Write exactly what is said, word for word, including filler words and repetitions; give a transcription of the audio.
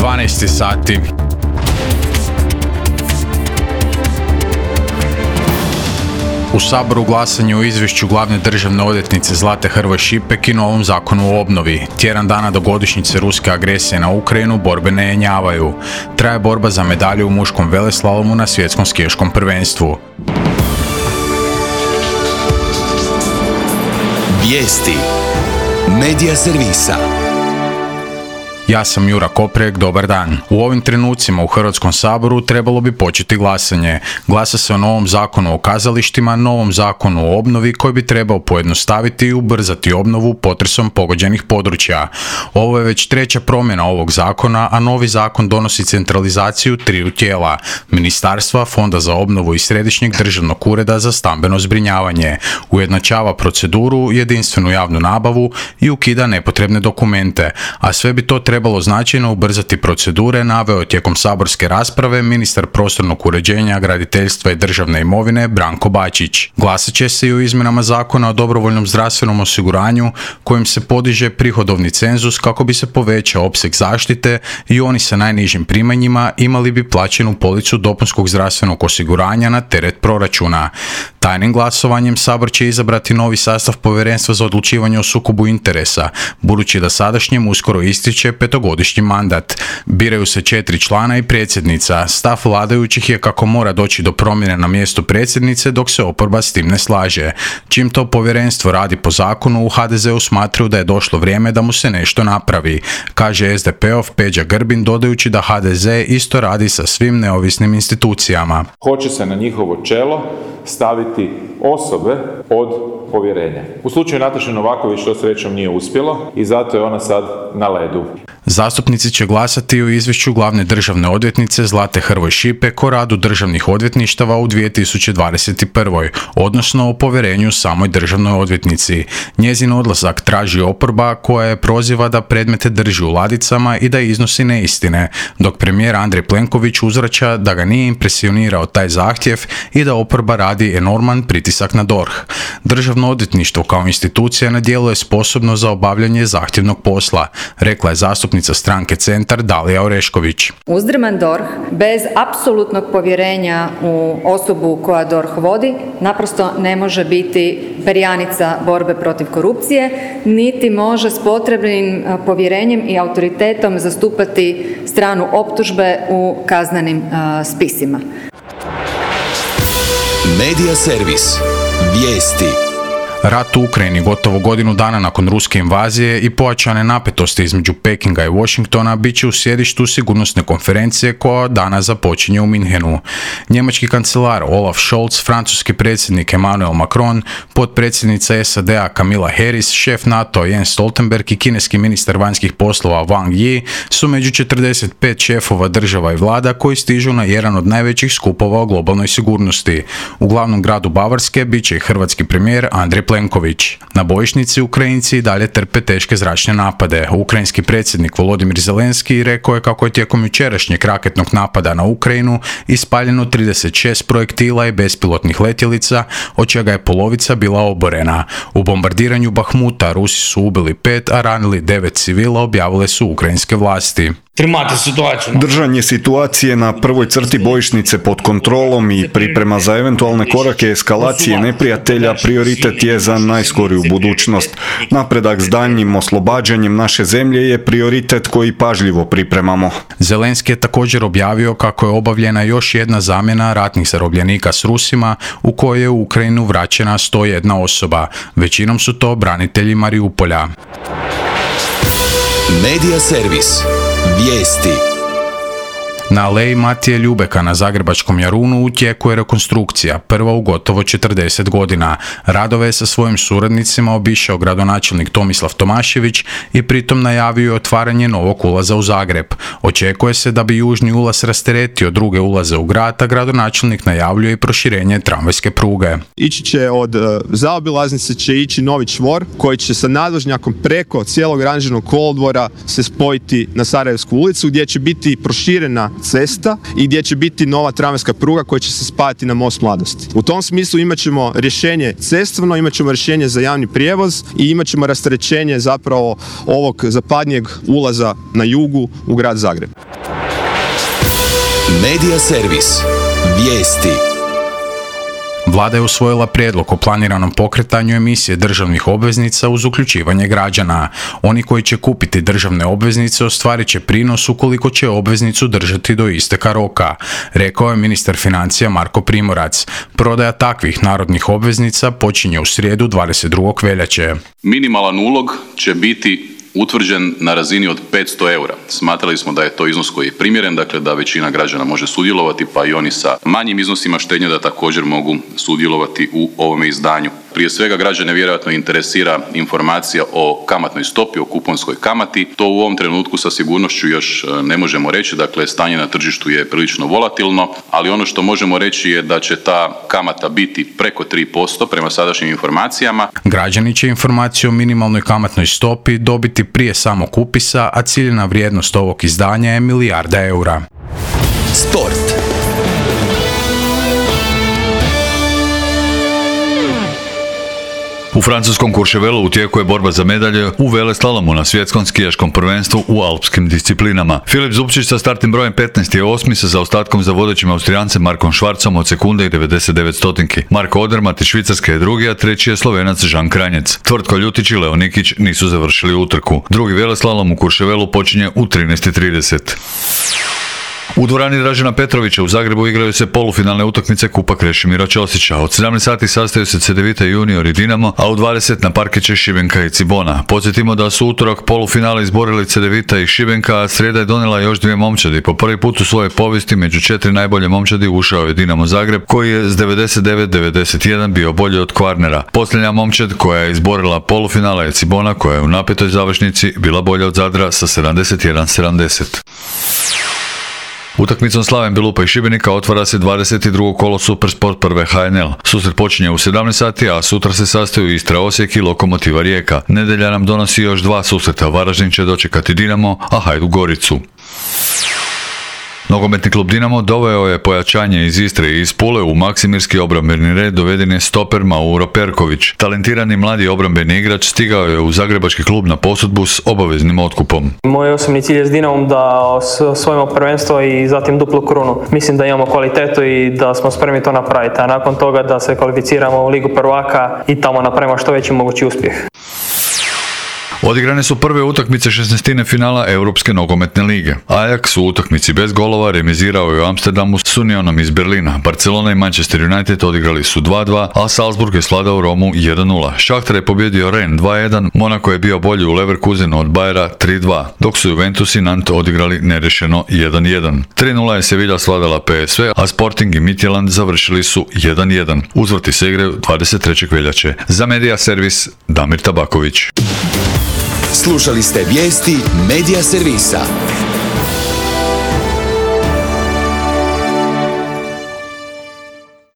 dvanaest sati. U Saboru glasanje o izvješću glavne državne odvjetnice Zlate Hrvoj Šipek i novom zakonu o obnovi. Tjedan dana do godišnjice ruske agresije na Ukrajinu borbe ne jenjavaju. Traje borba za medalju u muškom veleslalomu na svjetskom skijaškom prvenstvu. Vijesti Medija servisa. Ja sam Jura Koprek, dobar dan. U ovim trenucima u Hrvatskom saboru trebalo bi početi glasanje. Glasa se o novom zakonu o kazalištima, novom zakonu o obnovi koji bi trebao pojednostaviti i ubrzati obnovu potresom pogođenih područja. Ovo je već treća promjena ovog zakona, a novi zakon donosi centralizaciju triju tijela: Ministarstva, Fonda za obnovu i Središnjeg državnog ureda za stambeno zbrinjavanje. Ujednačava proceduru, jedinstvenu javnu nabavu i ukida nepotrebne dokumente, a sve bi to trebalo trebalo značajno ubrzati procedure, naveo tijekom saborske rasprave ministar prostornog uređenja, graditeljstva i državne imovine Branko Bačić. Glasat će se i o izmjenama zakona o dobrovoljnom zdravstvenom osiguranju kojim se podiže prihodovni cenzus kako bi se povećao opseg zaštite i oni sa najnižim primanjima imali bi plaćenu policu dopunskog zdravstvenog osiguranja na teret proračuna. Tajnim glasovanjem Sabor će izabrati novi sastav Povjerenstva za odlučivanje o sukobu interesa, budući da sadašnjem uskoro ističe petogodišnji mandat. Biraju se četiri člana i predsjednica. Stav vladajućih je kako mora doći do promjene na mjestu predsjednice dok se oporba s tim ne slaže. Čim to povjerenstvo radi po zakonu, u ha de zeu smatraju da je došlo vrijeme da mu se nešto napravi, kaže es de pe-ov Peđa Grbin, dodajući da ha de ze isto radi sa svim neovisnim institucijama. Hoće se na njihovo čelo staviti osobe od povjerenja. U slučaju Nataše Novaković to srećom nije uspjelo i zato je ona sad na ledu. Zastupnici će glasati o izvješću glavne državne odvjetnice Zlate Hrvoj Šipek o radu državnih odvjetništava u dvije tisuće dvadeset prve. odnosno o povjerenju samoj državnoj odvjetnici. Njezin odlazak traži oporba koja je proziva da predmete drži u ladicama i da iznosi neistine, dok premijer Andrej Plenković uzvraća da ga nije impresionirao taj zahtjev i da oporba radi enorman pritisak na D O R H. Državno odvjetništvo kao institucija ne djeluje sposobno za obavljanje zahtjevnog posla, rekla je zastupnica stranke Centar Dalija Orešković. Uzdrman D O R H bez apsolutnog povjerenja u osobu koja D O R H vodi naprosto ne može biti perjanica borbe protiv korupcije, niti može s potrebnim povjerenjem i autoritetom zastupati stranu optužbe u kaznenim uh, spisima. Medija servis. Vijesti. Rat u Ukrajini gotovo godinu dana nakon ruske invazije i pojačane napetosti između Pekinga i Washingtona bit će u sjedištu sigurnosne konferencije koja danas započinje u Minhenu. Njemački kancelar Olaf Scholz, francuski predsjednik Emmanuel Macron, potpredsjednica es a de a Kamala Harris, šef NATO-a Jens Stoltenberg i kineski ministar vanjskih poslova Wang Yi su među četrdeset pet šefova država i vlada koji stižu na jedan od najvećih skupova o globalnoj sigurnosti. U glavnom gradu Bavarske bit će i hrvatski premijer Andrej Plenković. Na bojišnici Ukrajinci dalje trpe teške zračne napade. Ukrajinski predsjednik Volodimir Zelenski rekao je kako je tijekom jučerašnjeg raketnog napada na Ukrajinu ispaljeno trideset šest projektila i bespilotnih letjelica, od čega je polovica bila oborena. U bombardiranju Bahmuta Rusi su ubili pet, a ranili devet civila, objavile su ukrajinske vlasti. Držanje situacije na prvoj crti bojišnice pod kontrolom i priprema za eventualne korake eskalacije neprijatelja prioritet je za najskoriju budućnost. Napredak s daljnjim oslobađanjem naše zemlje je prioritet koji pažljivo pripremamo. Zelenski je također objavio kako je obavljena još jedna zamjena ratnih zarobljenika s Rusima u kojoj je u Ukrajinu vraćena sto jedna osoba. Većinom su to branitelji Mariupolja. Medija servis. Vijesti. Na aleji Matije Ljubeka na zagrebačkom Jarunu u tijeku je rekonstrukcija, prva u gotovo četrdeset godina. Radove je sa svojim suradnicima obišao gradonačelnik Tomislav Tomašević i pritom najavio otvaranje novog ulaza u Zagreb. Očekuje se da bi južni ulaz rasteretio druge ulaze u grad, a gradonačelnik najavljuje i proširenje tramvajske pruge. Ići će od uh, zaobilaznice će ići novi čvor koji će sa nadvožnjakom preko cijelog ranžirnog kolodvora se spojiti na Sarajevsku ulicu gdje će biti proširena cesta i gdje će biti nova tramvajska pruga koja će se spajati na Most Mladosti. U tom smislu imat ćemo rješenje cestovno, imat ćemo rješenje za javni prijevoz i imat ćemo rasterećenje zapravo ovog zapadnijeg ulaza na jugu u grad Zagreb. Medija servis. Vijesti. Vlada je usvojila prijedlog o planiranom pokretanju emisije državnih obveznica uz uključivanje građana. Oni koji će kupiti državne obveznice ostvarit će prinos ukoliko će obveznicu držati do isteka roka, rekao je ministar financija Marko Primorac. Prodaja takvih narodnih obveznica počinje u srijedu dvadeset drugog veljače. Minimalan ulog će biti utvrđen na razini od petsto eura. Smatrali smo da je to iznos koji je primjeren, dakle da većina građana može sudjelovati, pa i oni sa manjim iznosima štednje da također mogu sudjelovati u ovome izdanju. Prije svega građane vjerojatno interesira informacija o kamatnoj stopi, o kuponskoj kamati. To u ovom trenutku sa sigurnošću još ne možemo reći, dakle stanje na tržištu je prilično volatilno, ali ono što možemo reći je da će ta kamata biti preko tri posto prema sadašnjim informacijama. Građani će informaciju o minimalnoj kamatnoj stopi dobiti prije samog upisa, a ciljna vrijednost ovog izdanja je milijarda eura. Sport. U francuskom Courchevelu u tijeku je borba za medalje u veleslalomu na svjetskom skijaškom prvenstvu u alpskim disciplinama. Filip Zupčić sa startnim brojem petnaest je osmi sa zaostatkom za vodećim Austrijancem Markom Švarcom od sekunde i devedeset devet stotinki. Marko Odermatt iz Švicarske je drugi, a treći je Slovenac Žan Kranjec. Tvrtko Ljutić i Leo Nikić nisu završili utrku. Drugi veleslalom u Courchevelu počinje u trinaest i trideset. U dvorani Dražena Petrovića u Zagrebu igraju se polufinalne utakmice Kupa Krešimira Ćosića. Od sedamnaest sati sastaju se Cedevita Junior i Dinamo, a u dvadeset na parkeće Šibenka i Cibona. Podsjetimo da su utorak polufinale izborili Cedevita i Šibenka, a srijeda je donijela još dvije momčadi. Po prvi put u svojoj povijesti među četiri najbolje momčadi ušao je Dinamo Zagreb, koji je s devedeset devet devedeset jedan bio bolji od Kvarnera. Posljednja momčad koja je izborila polufinale je Cibona, koja je u napetoj završnici bila bolja od Zadra sa sedamdeset jedan sedamdeset. Utakmicom Slaven Bilupa i Šibenika otvara se dvadeset drugo kolo Supersport prve H N L. Susret počinje u sedamnaest sati, a sutra se sastaju Istra Osijek i Lokomotiva Rijeka. Nedjelja nam donosi još dva susreta. Varaždin će dočekati Dinamo, a Hajduk Goricu. Nogometni klub Dinamo doveo je pojačanje iz Istre i iz Pule. U maksimirski obrambeni red doveden je stoper Mauro Perković. Talentirani mladi obrambeni igrač stigao je u zagrebački klub na posudbu s obaveznim otkupom. Moj osobni cilj je s Dinamom da osvojimo prvenstvo i zatim duplu krunu. Mislim da imamo kvalitetu i da smo spremni to napraviti, a nakon toga da se kvalificiramo u Ligu prvaka i tamo napravimo što veći mogući uspjeh. Odigrane su prve utakmice šesnaestine finala Europske nogometne lige. Ajax u utakmici bez golova remizirao je u Amsterdamu s Unionom iz Berlina. Barcelona i Manchester United odigrali su dva dva, a Salzburg je svladao Romu jedan nula. Šahtar je pobjedio Rennes dva jedan, Monaco je bio bolji u Leverkusenu od Bayera tri dva, dok su Juventus i Nantes odigrali nerešeno jedan jedan. tri nula je Sevilla svladala P S V, a Sporting i Midtjylland završili su jedan jedan. Uzvrti se igraju dvadeset trećeg veljače. Za Medija servis Damir Tabaković. Slušali ste vijesti Medija servisa.